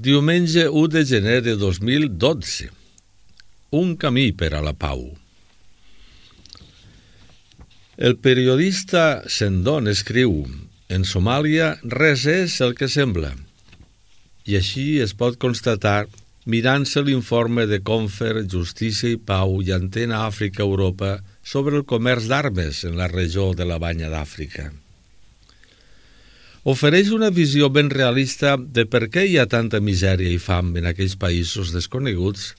Diumenge 1 de gener de 2012. Un camí per a la pau. El periodista Sendon escriu: en Somàlia res és el que sembla. I així es pot constatar mirant-se l'informe de Confer, Justícia i Pau i Antena Àfrica-Europa sobre el comerç d'armes en la regió de la Banya d'Àfrica. Ofereix una visió ben realista de per què hi ha tanta misèria i fam en aquells països desconeguts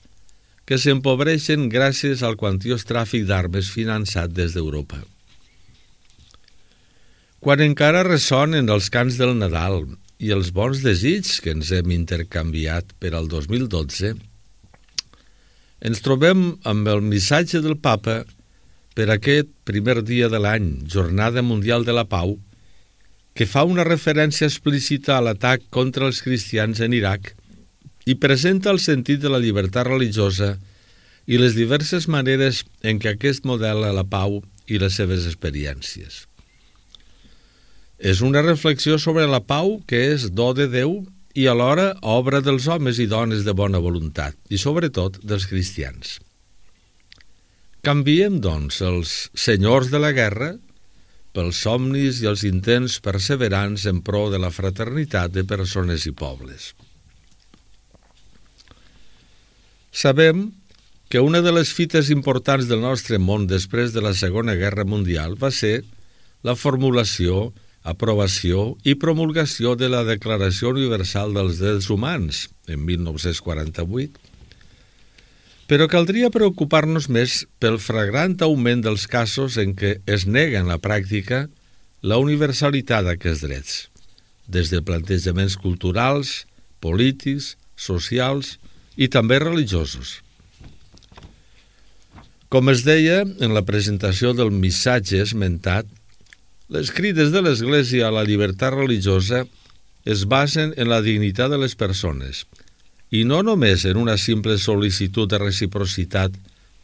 que s'empobreixen gràcies al quantiós tràfic d'armes finançat des d'Europa. Quan encara ressonen els cants del Nadal i els bons desitjos que ens hem intercanviat per al 2012, ens trobem amb el missatge del Papa per aquest primer dia de l'any, Jornada Mundial de la Pau, que fa una referència explícita a l'atac contra els cristians en Iraq i presenta el sentit de la llibertat religiosa i les diverses maneres en què aquest modela la pau i les seves experiències. És una reflexió sobre la pau que és do de Déu i alhora obra dels homes i dones de bona voluntat i sobretot dels cristians. Canviem, doncs, els senyors de la guerra pels somnis i els intents perseverants en pro de la fraternitat de persones i pobles. Sabem que una de les fites importants del nostre món després de la Segona Guerra Mundial va ser la formulació, aprovació i promulgació de la Declaració Universal dels Drets Humans en 1948, però caldria preocupar-nos més pel flagrant augment dels casos en què es nega en la pràctica la universalitat d'aquests drets, des de plantejaments culturals, polítics, socials i també religiosos. Com es deia en la presentació del missatge esmentat, les crides de l'Església a la llibertat religiosa es basen en la dignitat de les persones, i no només en una simple sol·licitud de reciprocitat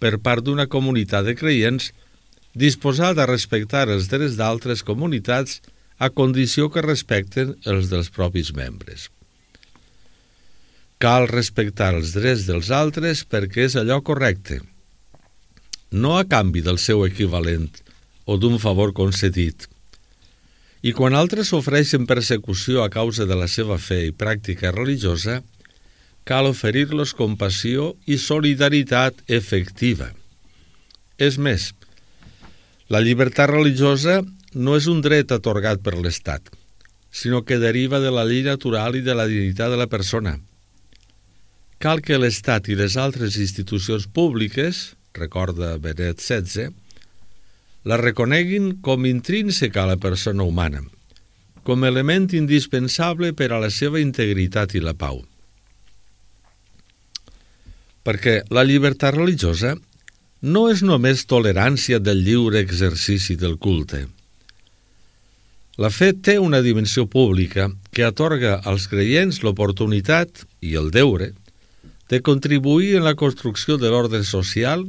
per part d'una comunitat de creients disposada a respectar els drets d'altres comunitats a condició que respecten els dels propis membres. Cal respectar els drets dels altres perquè és allò correcte, no a canvi del seu equivalent o d'un favor concedit. I quan altres sofreixen persecució a causa de la seva fe i pràctica religiosa, cal oferir-los compassió i solidaritat efectiva. És més, la llibertat religiosa no és un dret atorgat per l'Estat, sinó que deriva de la llei natural i de la dignitat de la persona. Cal que l'Estat i les altres institucions públiques, recorda Benet XVI, la reconeguin com intrínseca a la persona humana, com element indispensable per a la seva integritat i la pau. Perquè la llibertat religiosa no és només tolerància del lliure exercici del culte. La fe té una dimensió pública que atorga als creients l'oportunitat i el deure de contribuir en la construcció de l'ordre social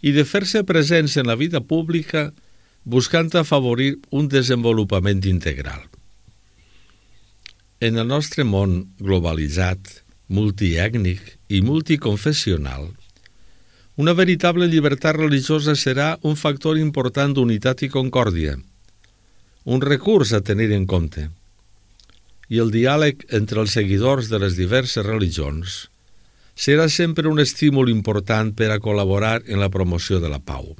i de fer-se presents en la vida pública buscant afavorir un desenvolupament integral. En el nostre món globalitzat, multiètnic i multiconfessional, una veritable llibertat religiosa serà un factor important d'unitat i concòrdia, un recurs a tenir en compte, i el diàleg entre els seguidors de les diverses religions serà sempre un estímul important per a col·laborar en la promoció de la pau.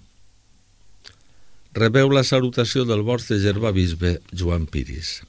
Rebeu la salutació del vostre germà bisbe Joan Piris.